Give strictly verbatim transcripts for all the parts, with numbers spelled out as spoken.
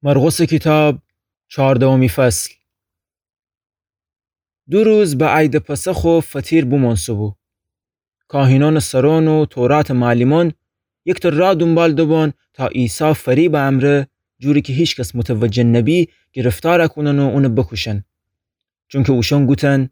مرقسٚ کیتاب، چاردهمی فصل. دو روز به عیدٚ پسخ و فطیر بومانسه‌بو. کاهینأنٚ سرأن و توراتٚ معلمأن یکتأ راه دونبال دوبوأن تا عیسی فریبٚ امرأ، جوری کی هیکس متوجه نبی، گرفتار کونن و اون بوکوشن. چونکی اوشأن گوتن: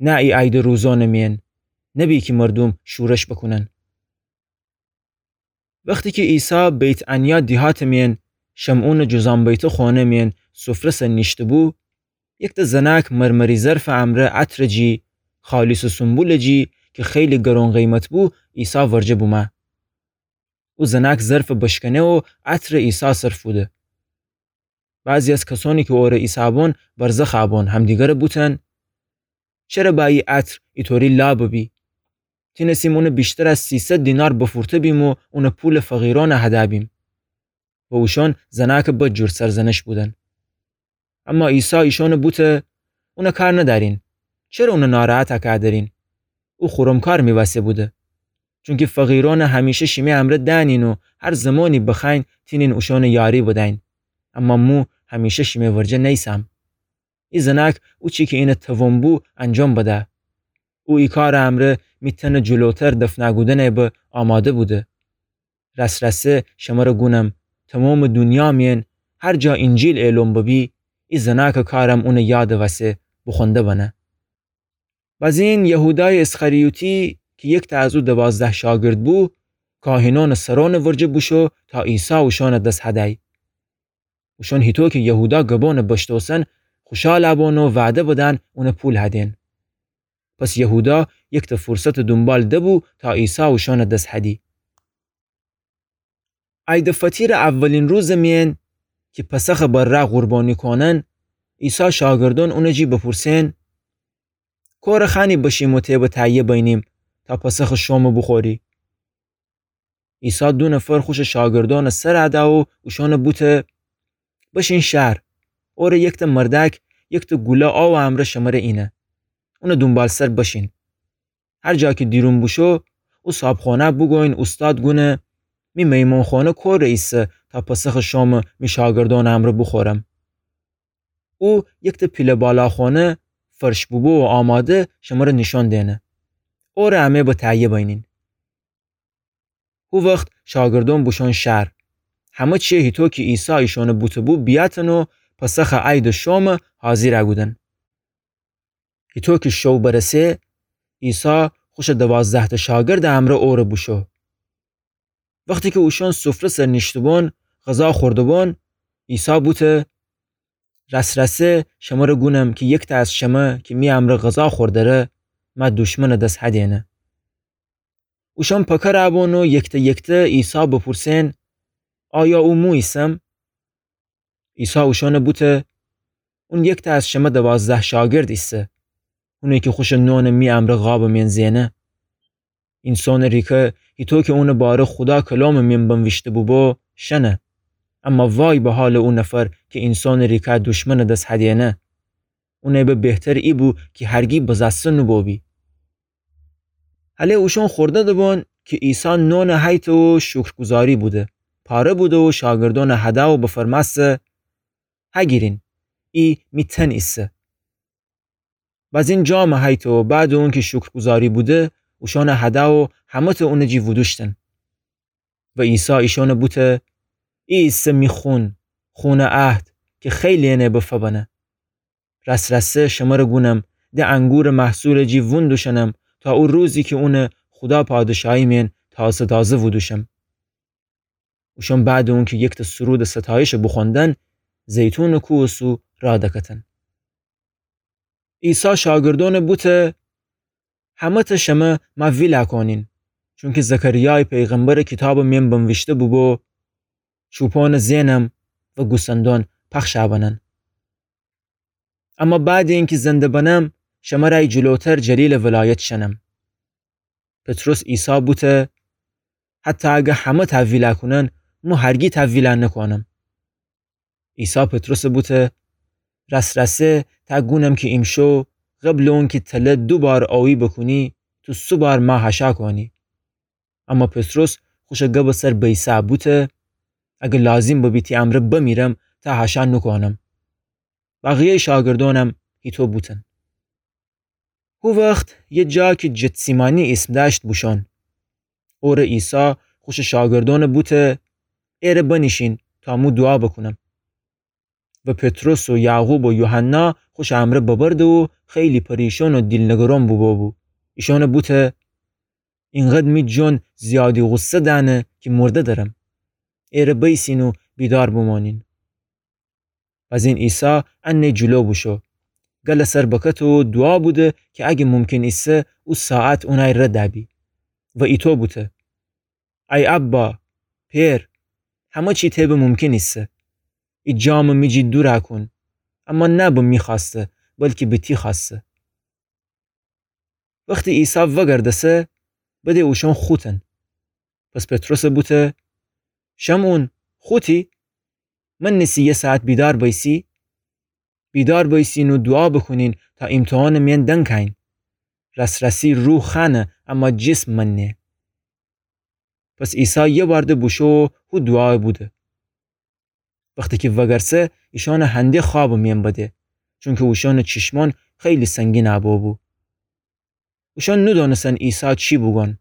نه ای عیدٚ روزأنٚ میأن نبی کی مردوم شورش بوکونن. وختی کی عیسی بیت‌عنیا دیهاتٚ میأن، شمعونٚ جذام بیته خانه میأن سفره سر نیشته‌بو، یکتأ زنأک مرمری ظرفٚ امرأ عطرٚ جی، خالصٚ سنبولٚ جی کی خیلی گران قیمت بو، عیسی ورجه بومه. او زنأک ظرف بشکنه و عطرٚ عیسی سر فوده. بعضی از کسأنی کی اوره ایسه‌بوأن برزخ بوأن، همدیگره بوتن: چره با ای عطر ایطوری لا ببی؟ تینستیم اون ویشتر از سیصد دینار بفروته‌بیم و اون پولٚ فقیرأن هده‌بیم. و اوشأن زنأکٚ بد جور سرزنش بودن. اما عیسی ایشأن بوته: اون کار ندأرین. چره اون ناراحت کودرین؟ او خورم کار می وسه بوده. چونکی فقیرأن همیشه شیمی امرأ دأنین و هر زمانی بخوأیین تینین اوشأن یاری بدأیین. اما مو همیشه شیمی ورجه نیسم. ای زنأک او چی کی اینه توان بو انجام بده. او ای کارٚ امرأ می تنٚ جلوتر دفن کودنٚ به آماده بوده. راس‌راسی شمره گونم، تومامٚ دونیا میأن هر جا اینجیل اعلان ببی، ای زنأکٚ کارم اونٚ یادٚ وسه بوخوأنده بنه. بزین یهودایٚ اسخریوطی کی یکتأ از او دوازده شاگرد بو، کاهینأنٚ سرأنٚ ورجه بوشو تا عیسی اوشأنٚ دس هدی. اوشأن هیطو کی یهودا گبأنٚ بشتوسن خوشال بوبوأن و وعده بدن اون پول هدین. پس یهودا یکتأ فرصتٚ دونبال دبو تا عیسی اوشأنٚ دس هدی. عیدٚ فطیرٚ اولین روزٚ میأن کی پسخٚ بره قربانی کونن، عیسی شاگردأن اونٚ جی بپورسن: کوره خوأنی بشیم و تی به تهیه بینیم تا پسخٚ شام بوخوری؟ عیسی دو نفر خوشٚ شاگردأنٚ سر ده و اوشأن بوته: بشین شهر، اوره یکتأ مردأک یکتأ گوله آوٚ امرأ شمره اینه. اونٚ دونبالسر بشین. هر جا کی دیرون بوشو، او صابخانه بوگوین اوستاد گونه: می میمانخانه کوره ایسه تا پسخٚ شام می شاگردأنٚ امرأ بوخورم؟ او یکتأ پیله بالاخانه، فرش بوبو و آماده، شمره نیشأن دینه. اوره امه به تهیه بینین. هو وخت شاگردأن بوشون شهر. همه چی هیطو کی عیسی ایشأن بوته‌بو بیأتن و پسخٚ عیدٚ شام حاضیر کودن. هیطو کی شو برسه، عیسی خوشٚ دوازده‌تأ شاگردٚ امرأ اوره بوشو. وختی کی اوشأن سفره سر نیشته‌بون، غذا خورده‌بون، عیسی بوته: راس‌راسی شمره گونم کی یکتأ از شمه کی می امرأ غذا خوردره، مه دوشمنٚ دس هدینه. اوشأن پکر بون و یکتأ یکتأ عیسی بپورسن: آیا او مو ایسم؟ عیسی اوشأن بوته: اون یکتأ از شمه دوازده شاگرد ایسه. اونی کی خوشٚ نان می امرأ قابٚ میأن زینه. اینسانٚ ریکه هیطو کی اونٚ باره خودا کلامٚ میأن بنویشته بوبو شنه. اما وای به حالٚ او نفر کی اینسانٚ ریکه دوشمنٚ دس هدینه. اونٚ به بهتر ای بو کی هرگی بزأسته نوبوبی. هله اوشأن خورده دبون کی عیسی نان هیته و شکرگزاری بوده، پاره بوده و شاگردأن هده و بفرمأسته: هگیرین، ای می تن ایسه. بزین جام هیته و بعدٚ اونکی شکرگزاری بوده، اوشأن هده و همه‌تأ اونٚ جی وودوشتن. و عیسی ایشأن بوته: ای ایسه می خون، خونٚ عهد کی خیلی‌ینٚ به فبنه. راس‌راسی شمره گونم، د انگورٚ محصولٚ جی وون دوشنم تا او روزی کی اون خودا پادشاهی میأن تازه تازه وودوشم. اوشأن بعدٚ اونکی یکتأ سرودٚ ستایش بوخوأندن، زیتونٚ کوهٚ سو راه دکتن. عیسی شاگردأن بوته: همه‌تأ شمه مه ویل کونین، چونکی زکریایٚ پیغمبرٚ کیتابٚ میأن بنویشته بوبو: چوپانٚ زینم و گوسندأن پخش بنن. اما بعدٚ اینکی زنده بنم، شمره جلوتر جلیلٚ ولایت شنم. پطرس عیسی بوته: حتی اگر همه تأ ویل کونن، مو هرگی تأ ویل نکونم. عیسی پطرس بوته: راس‌راسی تأ گونم کی ایمشو قبلٚ اونکی تله دو بار اویی بوکونی، تو سه بار مه هشا کونی. اما پطرس خوشٚ گبٚ سر بیسه بوته: اگر لازیم ببی تی امرأ بمیرم، تا هشا نوکونم. بقیه‌یٚ شاگردأنم هیطو بوتن. هو وخت یه جا کی جتسیمانی ایسم دأشت بوشون. اوره عیسی خوشٚ شاگردأن بوته: ایره بنیشین تا مو دوعا بوکونم. و پطرس و یعقوب و یوحنا خوشٚ امرأ ببرده و خیلی پریشان و دیلنگران بوبو بو. ایشأن بوته: اینقدر می جان زیادی غصه دأنه کی مرده درم. ایره بیسین و بیدار بومانین. بزین عیسی انه جلو بوشو، گلٚ سر بکته و دوعا بوده کی اگه ممکن ایسه، او ساعت اونأی رد دأبی. و ایطو بوته: ای ابا، پئر، همه چی تأ به ممکن ایسه. ای جامٚ می جی دورَ کون، اما نه به می خوأسته، بلکی به تی خوأسته. وختی عیسی وگردسه، بده اوشأن خوتن. پس پطرس بوته: شمعون، خوتی؟ منیسی یه ساعت بیدار بیسی؟ بیدار بیسین و دوعا بوکونین تا ایمتحانٚ میأن دنکأیین. راس‌راسی روح خوأنه، اما جسم منه. پس عیسی یه بار ده بوشو و هو دوعا بوده. وختی کی وگرسه، ایشأن هنده خوابٚ میأن بده، چونکی اوشأنٚ چشمأن خیلی سنگین بوبو. اوشأن نودأنستن عیسی چی بوگون.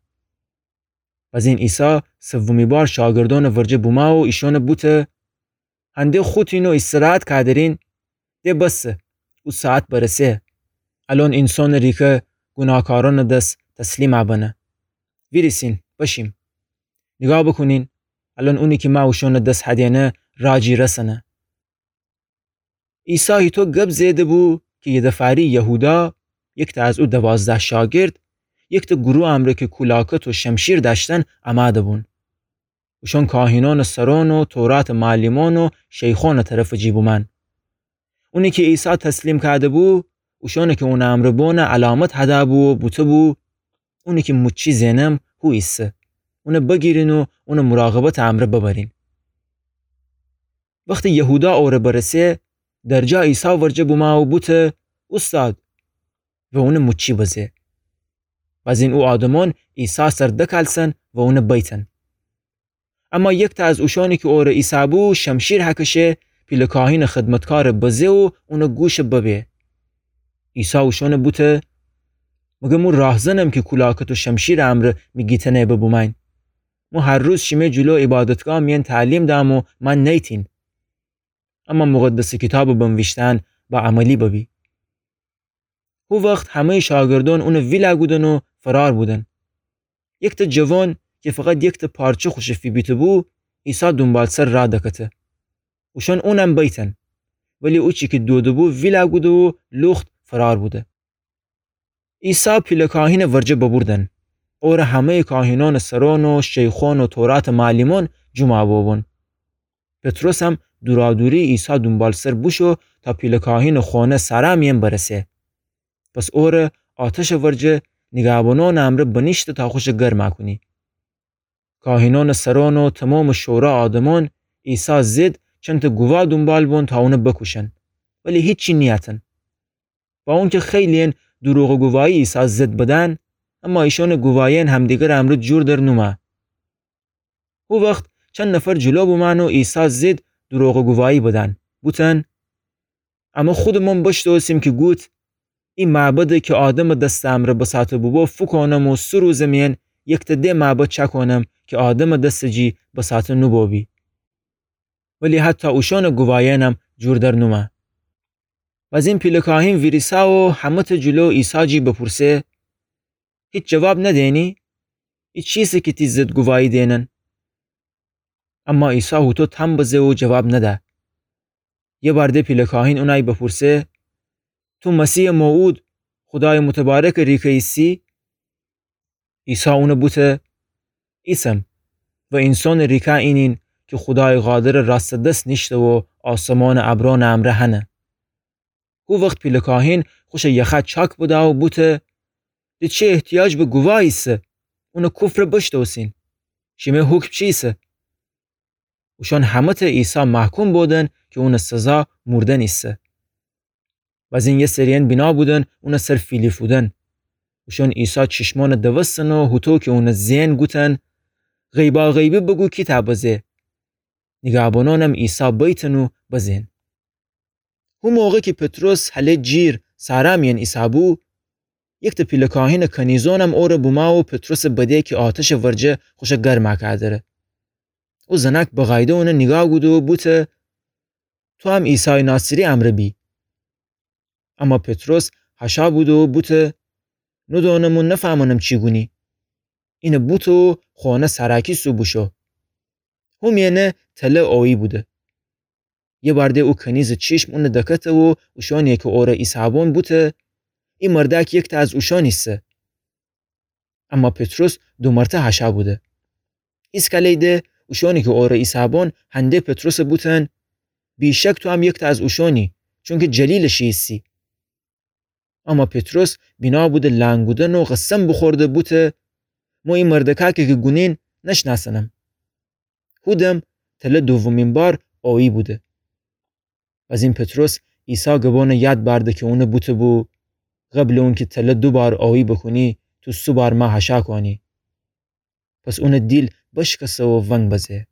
بزین عیسی سومی بار شاگردأنٚ ورجه بومأ و ایشأن بوته: هنده خوتین و استراحت کودرین؟ ده بسه، او ساعت برسه. الأن اینسانٚ ریکه گوناهکارأنٚ دس تسلیم بنه. ویریسین، بشیم. نیگاه بوکونین، الأن اونی کی مأ اوشأنٚ دس هدینه، رأ جی رسنه. عیسی هیطو گب زئده بو کی یدفعه‌ری یهودا، یکتأ از او دوازده شاگرد، یکتأ گروه امرأ کی کولاکت و شمشیر دأشتن، امأده بون. اوشأن کاهینأنٚ سرأن و توراتٚ معلمأن و شیخأنٚ طرفٚ جی بومأن. اونی کی عیسی تسلیم کوده‌بو، اوشأنی کی اونٚ امرأ بون علامت هده‌بو و بوته‌بو: اونی کی موچی زئنم، هو ایسه. اون بگیرین و اون مراقبتٚ امرأ ببرین. وختی یهودا اوره برسه، درجا عیسی ورجه بومه و بوته: اوستاد، و اون موچی بزه. بزین او آدمأن عیسی سر دکلسن و اون بیتن. اما یکتأ از اوشأنی کی اوره ایسه‌بو شمشیر هکشه، پیله کاهینٚ خدمتکار بزه و اون گوش ببه. عیسی اوشأن بوته: مگر مو راهزنم کی کولاکت و شمشیرٚ امرأ می گیتنه ببومأین؟ مو هر روز شیمه جلو عبادتگاه میأن تعلیم دم و من نیتین. اما مقدسٚ کیتابٚ بنویشته‌یأن به عملی ببی. هو وخت همه‌یٚ شاگردأن اون ویله کودن و فرار بودن. یکتأ جوان کی فقط یکتأ پارچه خوشه فیبیته‌بو، عیسی دونبالسر راه دکته. اوشأن اونم بیتن. ولی اوچی کی دوده‌بو ویله کوده و لوخت فرار بوده. عیسی پیله کاهینٚ ورجه ببوردن. اوره همه‌یٚ کاهینأنٚ سرأن و شیخأن و توراتٚ معلمأن جمع بوبون. پطرسم دورادوری عیسی دونبالسر بوشو تا پیله کاهینٚ خونه سرا میأن برسه. پس اوره آتشٚ ورجه نیگهبانأنٚ امرأ بنیشته تا خوشه گرما کونی. کاهینأنٚ سرأن و تومامٚ شورا آدمأن عیسی ضد چندتأ گواه دونبال بون تا اون بکوشن، ولی هیچی نیتن. با اونکی خیلی‌یأن دوروغٚ گواهی عیسی ضد بدن، اما ایشأنٚ گواهی‌یأن همدیگرٚ امرأ جور در نومه. هو وخت چند نفر جلو بومأن و عیسی ضد دوروغٚ گواهی بدن، بوتن: امه خودمأن بشتوسیم کی گوت: ای معبده کی آدمٚ دستٚ امرأ بساطه بوبو فوکونم و سه روزٚ میأن یکتأ دِ معبد چأکونم کی آدمٚ دستٚ جی بساطه نوبوبی. ولی حتی اوشأنٚ گواهی‌یأنم جور در نومه. بزین پیله کاهین ویریسه و همه‌تأ جلو عیسی جی بپورسه: هیچ جواب ندینی؟ ای چیسه کی تی ضد گواهی دینن؟ اما عیسی هوطو تام بزه و جواب نده. یه بار د پیله کاهین اونأی بپورسه: تو مسیحٚ موعود، خودایٚ متبارکٚ ریکه ایسی؟ عیسی اون بوته: ایسم، و اینسانٚ ریکه اینین کی خودایٚ قادرٚ راستٚ دس نیشته و آسمانٚ ابرأنٚ امرأ هنه. هو وخت پیله کاهین خوشٚ یخه چاک بده و بوته: د چه احتیاج به گواه ایسه؟ اونٚ کفر بشتوسین. شیمه حکم چیسه؟ اوشأن همه‌تأ عیسی محکوم بودن کی اونٚ سزا موردن ایسه. بزین یه سری‌یأن بینا بودن اونٚ سر فیلیفودن. اوشأن عیسی چشمأنٚ دوستن و هوطو کی اونٚ زئن گوتن: غیباغیبی بگو کی تأ بزه. نیگهبانانم عیسی بیتن و بزین. هو موقع کی پطرس هله جیر صحرا میأن ایسه‌بو، یکتأ پیله کاهینٚ کنیزونم اوره بومه و پطرسٚ بده کی آتشٚ ورجه خوشه گرمه کودره. او زنأک بقایده اونه نیگاه کوده و بوته: تو هم عیسایٚ ناصری امرأ بی. اما پطرس هشا بوده و بوته: نودونم و نفهمنم چی گونی. اینه بوته و خونه سر کیسه و بوشو. هو میأنه تله اویی بوده. یه بار ده او کنیزٚ چیشم اونه دکته و اوشأنی کی اوره ایسه‌بون بوته: ای مردأک یکتأ از اوشأن ایسه. اما پطرس دومرتأ هشا بوده. ایسکالی ده اوشأنی کی اوره ایسه‌بون هنده پطرسٚ بوتن: بی‌شک تو هم یکتأ از اوشأنی، چونکی جلیلٚ شی ایسی. اما پطرس بینا بوده لنگ کودن و قسم بوخورده بوته: مو ای مردأکأ کی گونین نشنأسنم. هو دم تله دومین بار اویی بوده. بزین پطرس عیسی گبأنٚ یاد بأرده کی اونه بوته‌بو: قبلٚ اونکی تله دو بار اویی بوکونی، تو سه بار مه هشا کونی. پس اونٚ دیل بشکسه و ونگ بزه.